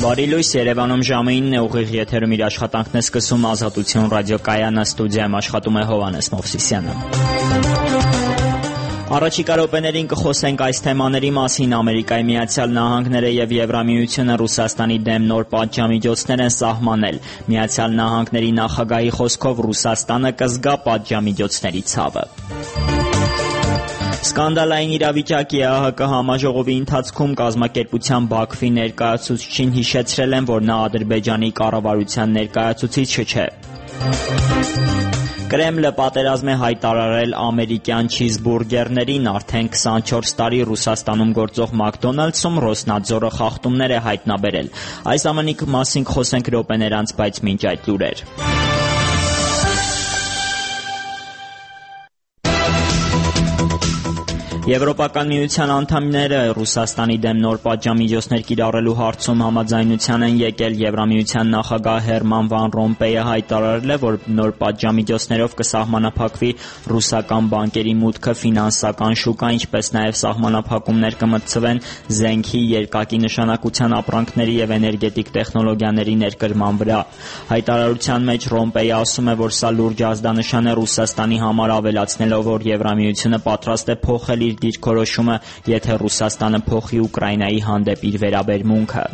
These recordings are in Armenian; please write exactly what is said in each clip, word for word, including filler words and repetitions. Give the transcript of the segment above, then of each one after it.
Բարի լույս, Երևանում ժամը ինն է, ուղիղ եթերում իր աշխատանքն է սկսում Ազատություն ռադիոկայանը, ստուդիայում աշխատում է Հովհաննես Մովսիսյանը։ Առաջիկա րոպեներին կխոսենք այս թեմաների մասին։ Ամերիկայի Միացյալ Նահանգները եւ Եվրամիությունը Ռուսաստանի դեմ նոր պատժամիջոցներ են սահմանել։ Միացյալ Նահանգների նախագահի խոսքով Ռուսաստանը կզգա պատժամիջոցների ցավը։ Սկանդալային իրավիճակի է ԱՀԿ համաժողովի ընթացքում կազմակերպության Բաքվի ներկայացուցչին հիշեցրել են, որ նա Ադրբեջանի կառավարության ներկայացուցիչը չէ։ Կրեմլը պատերազմ է հայտարարել ամերիկյան չիզբուրգերներին, արդեն քսանչորս տարի Ռուսաստանում գործող Մակդոնալդսում Ռոսնադզորը խախտումներ է հայտնաբերել։ Այս ամենի մասին կխոսենք րոպեներ անց, բայց մինչ այդ լուրեր։ Եվրոպական միության անդամները Ռուսաստանի դեմ նոր պատժամիջոցներ կիրառելու հարցում համաձայնության են եկել։ Եվրամիության նախագահ Հերման Վան Ռոմպեյը հայտարարել է, որ նոր պատժամիջոցներով կսահմանափակվի ռուսական բանկերի մուտքը ֆինանսական շուկա, ինչպես նաև սահմանափակումներ կմտցվեն զենքի, երկակի նշանակության ապրանքների եւ էներգետիկ տեխնոլոգիաների ներկրման վրա։ Հայտարարության մեջ Ռոմպեյը ասում է, որ սա լուրջ ազդանշան է Ռուսաստանի համար, ավելացնելով, որ Եվրամիությունը պատրաստ է փոխել դիրքորոշումը, եթե Ռուսաստանը փոխի Ուկրաինայի հանդեպ իր վերաբերմունքը։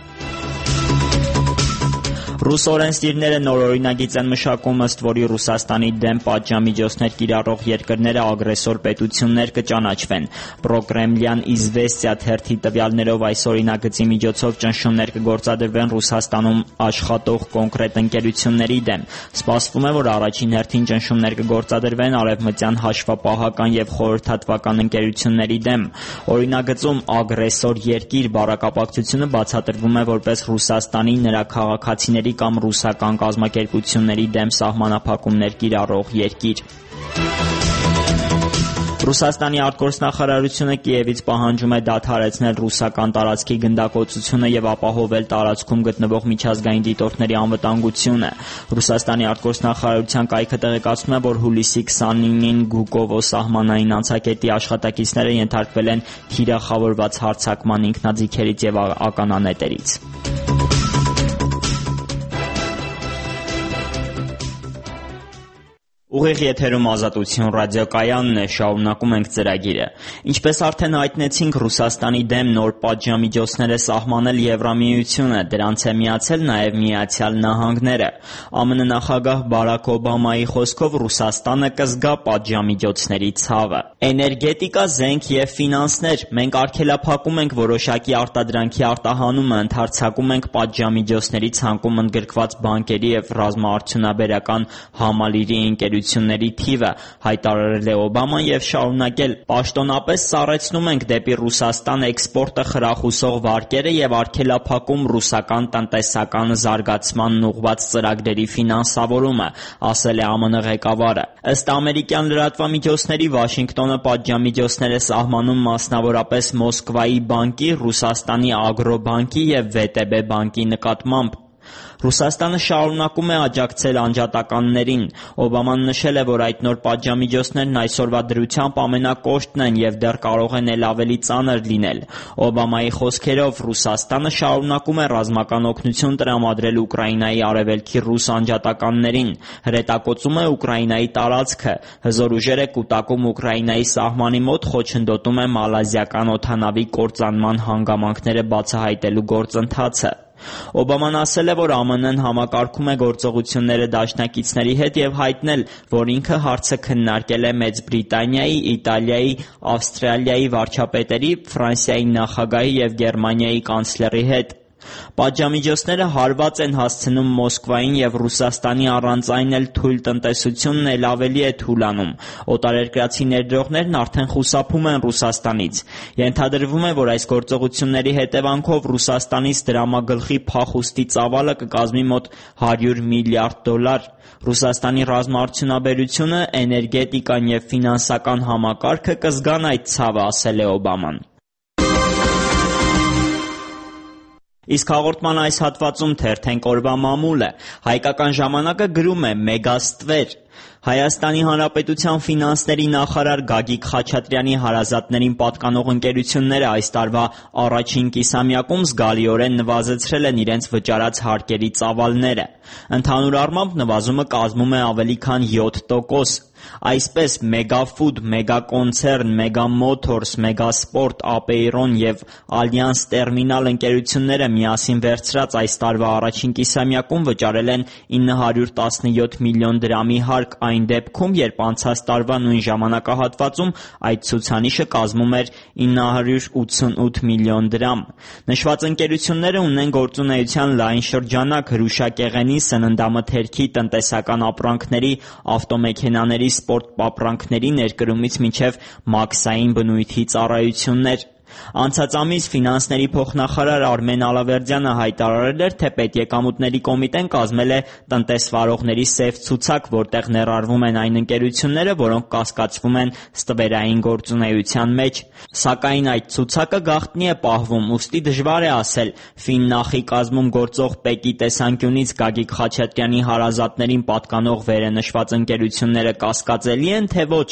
Ռուս օրենսդիրները նոր օրինագիծ են մշակում, ըստ որի Ռուսաստանի դեմ պատժամիջոցներ կիրառող երկրները ագրեսոր պետություններ կճանաչվեն։ Պրոկրեմլյան «Իզվեստիա» թերթի տվյալներով այս օրինագծի միջոցով ճնշումներ կգործադրվեն Ռուսաստանում աշխատող կոնկրետ ընկերությունների դեմ։ Սպասվում է, որ առաջին հերթին ճնշումներ կգործադրվեն արևմտյան հաշվապահական եւ խորհրդատվական ընկերությունների դեմ։ Օրինագծում ագրեսոր երկիր բառակապակցությունը բացատրվում է որպես Ռուսաստանի, նրա քաղաքացիների կամ ռուսական կազմակերպությունների դեմ սահմանափակումներ կիրառող երկիր։ Ռուսաստանի արտգործնախարարությունը Կիևից պահանջում է դադարեցնել ռուսական տարածքի գնդակոծությունը եւ ապահովել տարածքում գտնվող միջազգային դիտորդների անվտանգությունը։ Ռուսաստանի արտգործնախարարության կայքը տեղեկացնում է, որ հուլիսի քսանինին Գուկովո սահմանային անցակետի աշխատակիցները ենթարկվել են թիրախավորված հարձակման ինքնաձիգերից եւ ականանետերից։ Ուղիղ եթերում Ազատություն ռադիոկայանն է, շարունակում ենք ծրագիրը։ Ինչպես արդեն հայտնեցինք, Ռուսաստանի դեմ նոր պատժամիջոցներ է սահմանել Եվրամիությունը, դրանց է միացել նաև Միացյալ Նահանգները։ ԱՄՆ նախագահ Բարաք Օբամայի խոսքով Ռուսաստանը կզգա պատժամիջոցների ցավը։ Էներգետիկա, զենք եւ ֆինանսներ։ Մենք արգելափակում ենք որոշակի արտադրանքի արտահանումը, ընդհարձակում ենք պատժամիջոցների ցանկում ընդգրկված բանկերի եւ ռազմաարդյունաբերական համալիրի ընկերությունների թիվը, հայտարարել է Օբաման եւ շարունակել. «Պաշտոնապես սառեցնում ենք դեպի Ռուսաստան էքսպորտը խրախուսող վարկերը եւ արգելափակում ռուսական տնտեսական զարգացմանն ուղղված ծրագրերի ֆինանսավորումը», ասել է ԱՄՆ ղեկավարը։ Ըստ ամերիկյան լրատվամիջոցների, Վաշինգտոնը պատժամիջոցներ է սահմանում մասնավորապես Մոսկվայի բանկի, Ռուսաստանի Ագրոբանկի եւ վե տե բե բանկի նկատմամբ։ Ռուսաստանը շարունակում է աջակցել անջատականներին։ Օբաման նշել է, որ այդ նոր պատժամիջոցներն այսօրվա դրությամբ ամենակոշտն են եւ դեռ կարող են էլ ավելի ծանր լինել։ Օբամայի խոսքերով, Ռուսաստանը շարունակում է ռազմական օգնություն տրամադրել Ուկրաինայի արևելքի ռուս անջատականներին, հրետակոծում է Ուկրաինայի տարածքը, հզոր ուժեր է կուտակում Ուկրաինայի սահմանի մոտ, խոչընդոտում է մալազիական օդանավի կործանման հանգամանքները բացահայտելու գործընթացը։ Օբաման ասել է, որ ԱՄՆ-ն համակարգում է գործողությունները դաշնակիցների հետ եւ հայտնել, որ ինքը հարցը քննարկել է Մեծ Բրիտանիայի, Իտալիայի, Ավստրալիայի վարչապետերի, Ֆրանսիայի նախագահի եւ Գերմանիայի կանցլերի հետ։ Պատժամիջոցները հարված են հասցնում Մոսկվային եւ Ռուսաստանի առանց այն էլ թույլ տնտեսությունն էլ ավելի է թուլանում։ Օտարերկրացի ներդրողներն արդեն խուսափում են Ռուսաստանից։ Ենթադրվում է, որ այս գործողությունների հետևանքով Ռուսաստանից դրամագլխի փախուստի ծավալը կկազմի մոտ հարյուր միլիարդ դոլար։ Ռուսաստանի ռազմաարդյունաբերությունը, էներգետիկան եւ ֆինանսական համակարգը կզգան այդ ցավը, ասել է Օբաման։ Իսկ հաղորդման այս հատվածում թերթենք օրվա մամուլը։ Հայկական ժամանակը գրում է՝ մեգաստվեր։ Հայաստանի Հանրապետության ֆինանսների նախարար Գագիկ Խաչատրյանի հարազատներին պատկանող ընկերությունները այս տարվա առաջին կիսամյակում զգալիորեն նվազեցրել են իրենց վճարած հարկերի ծավալները։ Ընդհանուր առմամբ նվազումը կազմում է ավելի քան յոթ տոկոս։ Այսպես Մեգաֆուդ, Մեգակոնցեռն, Մեգամոթորս, Մեգասպորտ, Ապեյրոն և Ալյանս Տերմինալ ընկերությունները միասին վերցրած այս տարվա առաջին կիսամյակում վճարել են ինը հարյուր տասնյոթ միլիոն դրամի հարկ այն դեպքում, երբ անցած տարվա նույն ժամանակահատվածում այդ ցուցանիշը կազմում էր ինը հարյուր ութսունութ միլիոն դրամ։ Նշված ընկերությունները ունեն գործունեության լայն շրջանակ հրուշակեղենի, սննդամթերքի, տնտեսական ապրանքների, ավտոմեքենաների, սպորտ ապրանքների ներկրումից մինչև մաքսային բնույթի ծառայություններ։ Անցած ամիս ֆինանսների փոխնախարար Արմեն Ալավերդյանը հայտարարել էր, թե Պետեկամուտների կոմիտեն կազմել է տնտեսվարողների սև ցուցակ, որտեղ ներառվում են այն ընկերությունները, որոնք կասկածվում են ստվերային գործունեության մեջ։ Սակայն այդ ցուցակը գաղտնի է պահվում, ուստի դժվար է ասել՝ Ֆիննախի կազմում գործող ՊԵԿ-ի տեսանկյունից Գագիկ Խաչատրյանի հարազատներին պատկանող վերենշված ընկերությունները կասկածելի են, թե ոչ։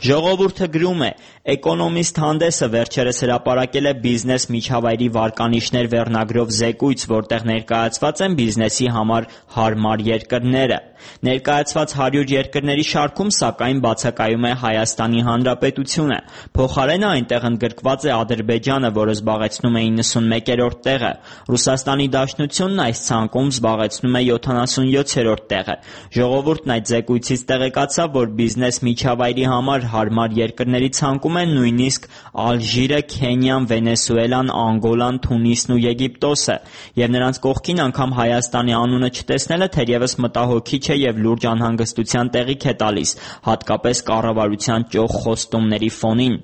Ժողովուրդը գրում է. Էկոնոմիստ հանդեսը վերջերս հրապարակել է բիզնես միջավայրի վարկանիշներ վերնագրով զեկույց, որտեղ ներկայացված են բիզնեսի համար հարմար երկրները։ Ներկայացված հարյուր երկրների շարքում, սակայն, բացակայում է Հայաստանի Հանրապետությունը։ Փոխարենը այնտեղ ընդգրկված է Ադրբեջանը, որը զբաղեցնում է իննսունմեկերորդ տեղը։ Ռուսաստանի Դաշնությունն այս ցանկում զբաղեցնում է յոթանասունյոթերորդ տեղը։ Ժողովուրդն այդ զեկույցից տեղեկացավ, որ բիզնես միջավայրի համար հարմար երկրների ցանկում են նույնիսկ Ալժիրը, Քենիան, Վենեսուելան, Անգոլան, Թունիսն ու Եգիպտոսը, և նրանց կողքին անգամ Հայաստանի անունը չտեսնելը թերևս մտահոգիչ է և լուրջ անհանգստության տեղիք է տալիս, հատկապես կառավարության ճոխ խոստումների ֆոնին։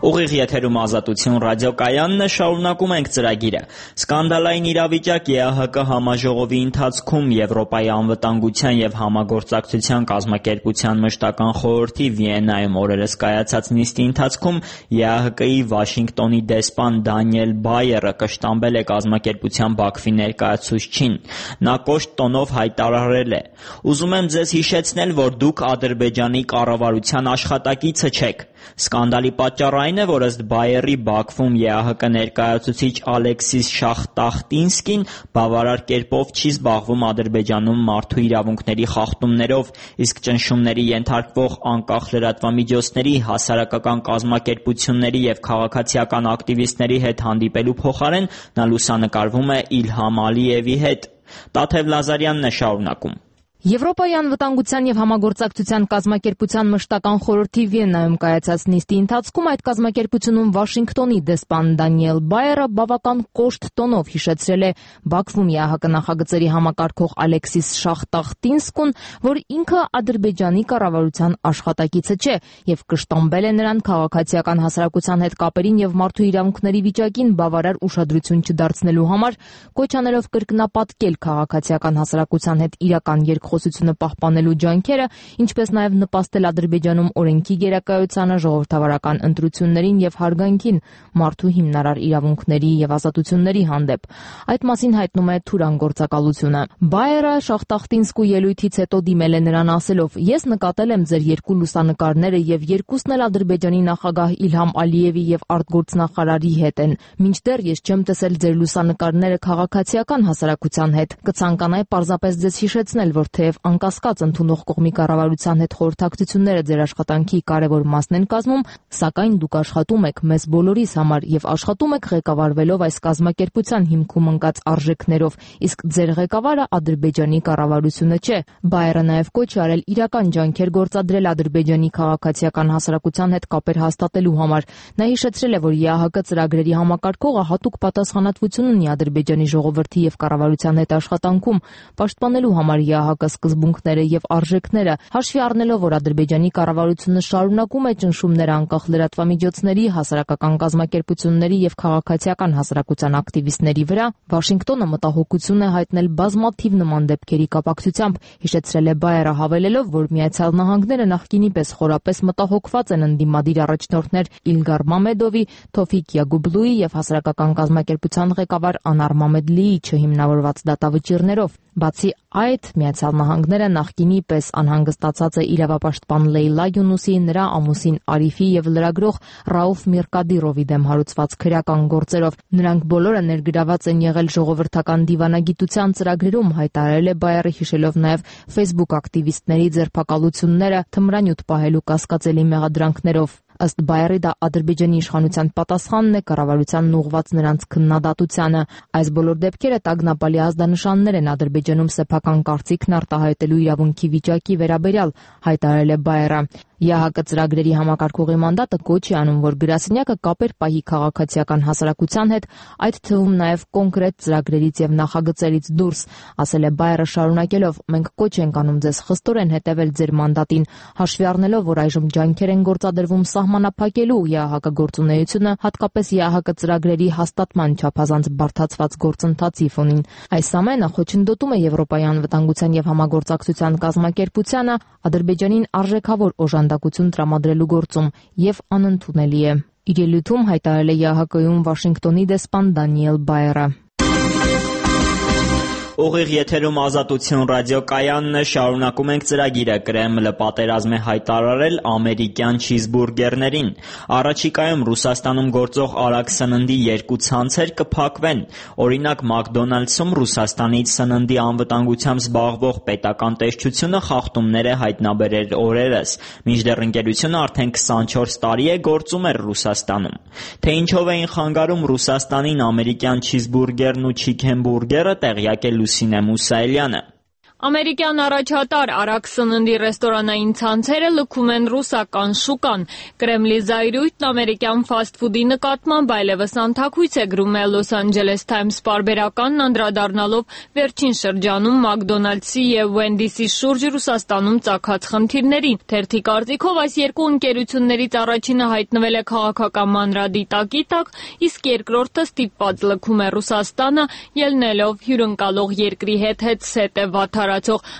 Ուղիղ եթերում Ազատություն ռադիոկայանն է, շարունակում ենք ծրագիրը։ Սկանդալային իրավիճակ ԵԱՀԿ համաժողովի ընթացքում Եվրոպայի անվտանգության և համագործակցության կազմակերպության մշտական խորհրդի Վիեննայում օրերս կայացած նիստի ընթացքում ԵԱՀԿ-ի Վաշինգտոնի դեսպան Դանիել Բայերը կշտամբել է կազմակերպության Բաքվի ներկայացուցչին։ Նա կոշտ տոնով հայտարարել է. «Ուզում եմ ձեզ հիշեցնել, որ դուք Ադրբեջանի կառավարության աշխատակիցը չեք»։ Սկանդալի պատճառը այն է, որ ըստ Բայերի Բաքվում ԵԱՀԿ ներկայացուցիչ Ալեքսիս Շախտախտինսկին բավարար կերպով չի զբաղվում Ադրբեջանում մարդու իրավունքների խախտումներով, իսկ ճնշումների ենթարկվող անկախ լրատվամիջոցների, հասարակական կազմակերպությունների և քաղաքացիական ակտիվիստների հետ հանդիպելու փոխարեն նա լուսանկարվում է Իլհամ Ալիևի հետ։ Տաթև Լազարյանն է շարունակում. Եվրոպայի անվտանգության և համագործակցության կազմակերպության մշտական խորհրդի Վիեննայում կայացած նիստի ընթացքում այդ կազմակերպությունում Վաշինգտոնի դեսպան Դանիել Բայերը բավական կոշտ տոնով հիշեցրել է Բաքվում ԵԱՀԿ նախագծերի համակարգող Ալեքսիս Շախտախտինսկուն, որ ինքը Ադրբեջանի կառավարության աշխատակիցը չէ, և կշտամբել է նրան քաղաքացիական հասարակության հետ կապերին և մարդու իրավունքների վիճակին բավարար ուշադրություն չդարձնելու համար, կոչ անելով կրկնապատկել քաղաքացիական հասարակության հետ իրական երկխոսությունը պահպանելու ջանքերը, ինչպես նաև նպաստել Ադրբեջանում օրենքի գերակայությանը, ժողովրդավարական ընտրություններին և հարգանքին մարդու հիմնարար իրավունքների և ազատությունների հանդեպ։ Այդ մասին հայտնում է Թուրան գործակալությունը։ Բայերը Շախտախտինսկու ելույթից հետո դիմել է նրան ասելով. «Ես նկատել եմ ձեր երկու լուսանկարները և երկուսն էլ Ադրբեջանի նախագահ Իլհամ Ալիևի և արտգործնախարարի հետ են։ Մինչդեռ ես չեմ տեսել ձեր լուսանկարները քաղաքացիական հասարակության հետ։ Կցանկանայի պարզապես ձեզ հիշեցնել, որ թեև անկասկած ընդունող կողմի կառավարության հետ խորհրդակցությունները ձեր աշխատանքի կարևոր մասն են կազմում, սակայն դուք աշխատում եք մեզ բոլորիս համար և աշխատում եք ղեկավարվելով այս կազմակերպության հիմքում ընկած արժեքներով, իսկ ձեր ղեկավարը Ադրբեջանի կառավարությունը չէ»։ Բայերը նաև կոչ է արել իրական ջանքեր գործադրել Ադրբեջանի քաղաքացիական հասարակության հետ կապեր հաստատելու համար։ Նա հիշեցրել է, որ ԵԱՀԿ ծրագրերի համակարգողը հատուկ պատասխանատվություն ունի Ադրբեջանի ժողովրդի և կառավարության հետ աշխատանքում, պաշտպանելու համար ԵԱՀԿ ժամանակը, սկզբունքները եւ արժեքները, հաշվի առնելով, որ Ադրբեջանի կառավարությունը շարունակում է ճնշումներ անկախ լրատվամիջոցների, հասարակական կազմակերպությունների եւ քաղաքացիական հասարակության ակտիվիստների վրա, Վաշինգտոնը մտահոգություն է հայտնել բազմաթիվ նման դեպքերի կապակցությամբ, հիշեցրել է Բայերը, հավելելով, որ Միացյալ Նահանգները նախկինի պես խորապես մտահոգված են ընդդիմադիր առաջնորդներ Իլգար Մամեդովի, Թոֆիկ Յագուբլուի եւ հասարակական կազմակերպության ղեկավար Անար Մամեդլիի չհիմնավորված դատավճիռներով։ Բացի այդ, Միացյալ Նահանգները նախկինի պես անհանգստացած է իրավապաշտպան Լեյլա Յունուսի, նրա ամուսին Արիֆի եւ լրագրող Ռաուֆ Միրկադիրովի դեմ հարուցված քրեական գործերով։ Նրանք բոլորը ներգրաված են եղել ժողովրդական դիվանագիտության ծրագրերում, հայտարարել է Բայերը, հիշելով նաեւ Facebook ակտիվիստների ձերբակալությունները թմրանյութ պահելու կասկածելի մեղադրանքներով։ Ըստ Բայերի, դա Ադրբեջանի իշխանության պատասխանն է կառավարությանն ուղղված նրանց քննադատությանը։ Այս բոլոր դեպքերը տագնապալի ազդանշաններ են Ադրբեջանում սեփական կարծիքն արտահայտելու իրավունքի վիճակի վերաբերյալ, հայտարարել է Բայերը։ ԵԱՀԿ ծրագրերի համակարգողի մանդատը կոչ է անում, որ գրասենյակը կապեր պահի քաղաքացիական հասարակության հետ, այդ թվում նաև կոնկրետ ծրագրերից եւ նախագծերից դուրս, ասել է Բայերը, շարունակելով. մենք կոչ ենք անում ձեզ խստորեն հետևել ձեր մանդատին, հաշվի առնելով, որ այժմ ջանքեր են գործադրվում սահմանափակելու ԵԱՀԿ գործունեությունը, հատկապես ԵԱՀԿ ծրագրերի հաստատման չափազանց բարդացված գործընթացի ֆոնին։ Այս ամենը խոչընդոտում է Եվրոպայի անվտանգության եւ համագործակցության կազմակերպությանը Ադրբեջանին արժեքավոր օժանդակություն տրամադրելու գործում եւ անընդունելի է։ Իր ելույթում հայտարարել է ԵԱՀԿ-ում Վաշինգտոնի դեսպան Դանիել Բայերը։ Ուղիղ եթերում Ազատություն ռադիոկայանն է, շարունակում ենք ծրագիրը։ Կրեմլը պատերազմ է հայտարարել ամերիկյան չիզբուրգերներին։ Առաջիկայում Ռուսաստանում գործող արագ սննդի երկու ցանցեր կփակվեն։ Օրինակ, Մակդոնալդսում Ռուսաստանից սննդի անվտանգությամբ զբաղվող պետական տեսչությունը խախտումներ է հայտնաբերել օրերս, մինչդեռ ընկերությունը արդեն քսանչորս տարի է գործում էր Ռուսաստանում։ Թե ինչով էին խանգարում Ռուսաստանին ամերիկյան չիզբուրգերն ու չիքենբուրգերը, տեղյակ է Լուսինե Մուսայելյանը։ Ամերիկյան առաջատար արագ սննդի ռեստորանային ցանցերը լքում են ռուսական շուկան։ Կրեմլի զայրույթն ամերիկյան ֆասթ-ֆուդի նկատմամբ այլևս անթաքույց է, գրում է Los Angeles Times պարբերականն, անդրադառնալով վերջին շրջանում Մակդոնալդսի եւ Wendy's-ի շուրջ Ռուսաստանում ծագած խնդիրներին։ Թերթի կարծիքով այս երկու ընկերություններից առաջինը հայտնվել է քաղաքական մանրադիտակի տակ, իսկ երկրորդը ստիպված լքում է Ռուսաստանը, ելնելով հյուրընկալող երկրի հետ հետսետ է վատթարացող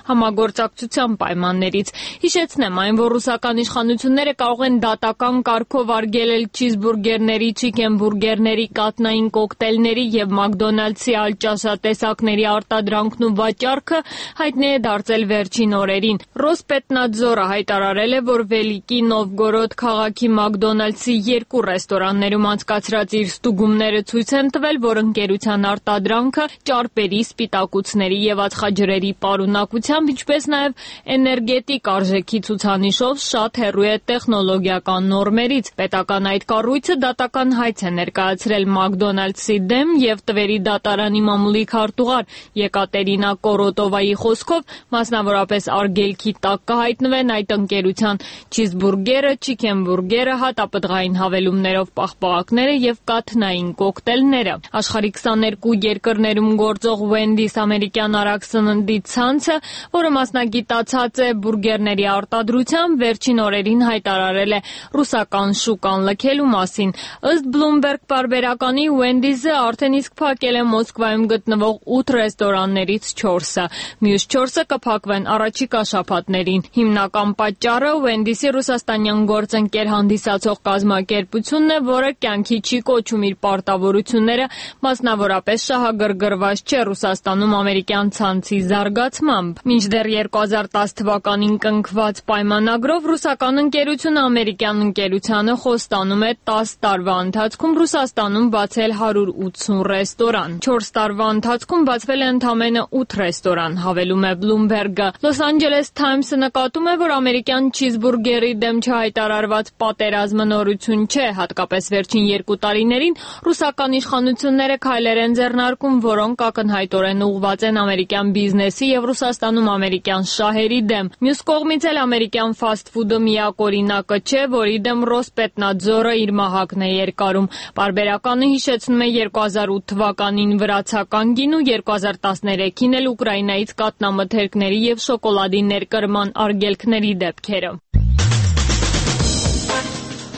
համագործակցության պայմաններից։ Հիշեցնեմ այն, որ ռուսական իշխանությունները կարող են դատական կարգով արգելել չիզբուրգերների, չիքենբուրգերների, կատնային կոկտեյլների եւ Մակդոնալդսի այլ ճաշատեսակների արտադրանքն ու վաճառքը, հայտնի է դարձել վերջին օրերին։ Ռոսպետնադզորը հայտարարել է, որ Վելիկի Նովգորոդ քաղաքի Մակդոնալդսի երկու ռեստորաններում անցկացրած իր ստուգումները ցույց են տվել, որ ընկերության արտադրանքը ճարպերի, սպիտակուցների եւ ածխաջրերի պարունակությամբ, ինչպես նաև էներգետիկ արժեքի ցուցանիշով շատ հեռու է տեխնոլոգիական նորմերից։ Պետական այդ կառույցը դատական հայց է ներկայացրել Մակդոնալդսի դեմ եւ տվերի դատարանի մամուլի քարտուղար Եկատերինա Կորոտովայի խոսքով, մասնավորապես արգելքի տակ կհայտնվեն այդ ընկերության չիզբուրգերը, չիքենբուրգերը, հատապտղային հավելումներով պաղպաղակները եւ կաթնային կոկտեյլները։ Աշխարհի քսաներկու երկրներում գործող Wendy's ամերիկյան արագ սննդի ցանցը, որը մասնագիտացած է բուրգերների արտադրությամբ, վերջին օրերին հայտարարել է ռուսական շուկան լքելու մասին։ Ըստ Bloomberg պարբերականի, Wendy's-ը արդեն իսկ փակել է Մոսկվայում գտնվող ութ ռեստորաններից չորսը։ Մյուս չորսը կփակվեն առաջիկա շաբաթներին։ Հիմնական պատճառը Wendy's-ի ռուսաստանյան գործընկեր հանդիսացող կազմակերպությունն է, որը կյանքի չի կոչում իր պարտավորությունները, մասնավորապես շահագրգռված չէ Ռուսաստանում ամերիկյան ցանցի զարգացմամբ։ Մինչդեռ երկու հազար տասը թվականին կնքված պայմանագրով ռուսական ընկերությունը ամերիկյան ընկերությանը խոստանում է տասը տարվա ընթացքում Ռուսաստանում բացել հարյուր ութսուն ռեստորան։ չորս տարվա ընթացքում բացվել է ընդամենը ութ ռեստորան, հավելում է Bloomberg-ը։ Los Angeles Times-ը նկատում է, որ ամերիկյան չիզբուրգերի դեմ չհայտարարված պատերազմը նորություն չէ, հատկապես վերջին երկու տարիներին ռուսական իշխանությունները քայլեր են ձեռնարկում, որոնք ակնհայտորեն ուղղված են ամերիկյան բիզնեսի եւ կայացավ Ռուսաստանում ամերիկյան շահերի դեմ։ Մյուս կողմից էլ ամերիկյան ֆասթ ֆուդը միակ օրինակը չէ, որի դեմ Ռոսպետնadzորը իր մահակն է երկարում։ Պարբերականը հիշեցնում է երկու հազար ութ թվականին վրացական գին ու երկու հազար տասներեքին էլ Ուկրաինայից կատնամթերքների եւ շոկոլադի ներկրման արգելքների դեպքերը։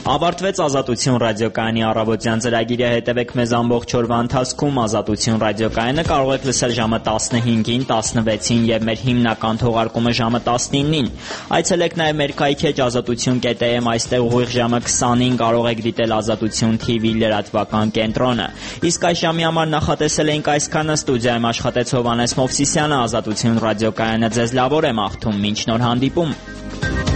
Ավարտվեց Ազատություն ռադիոկայանի առավոտյան ծրագիրը, հետևեք մեզ ամբողջ օրվա ընթացքում։ Ազատություն ռադիոկայանը կարող եք լսել ժամը տասնհինգին, տասնվեցին եւ մեր հիմնական թողարկումը ժամը տասնինին։ Այցելեք նաեւ մեր քայքեջ ազատություն կետ am, այստեղ ուղիղ ժամը քսանին կարող եք դիտել Ազատություն թի վի լրատվական կենտրոնը։ Իսկ այս ժամի համար նախատեսել էինք այսքանը, ստուդիայում աշխատեց Հովհաննես Մովսիսյանը, Ազատություն ռադիոկայանը ձեզ լավոր է մաղթում, մինչ նոր հանդիպում։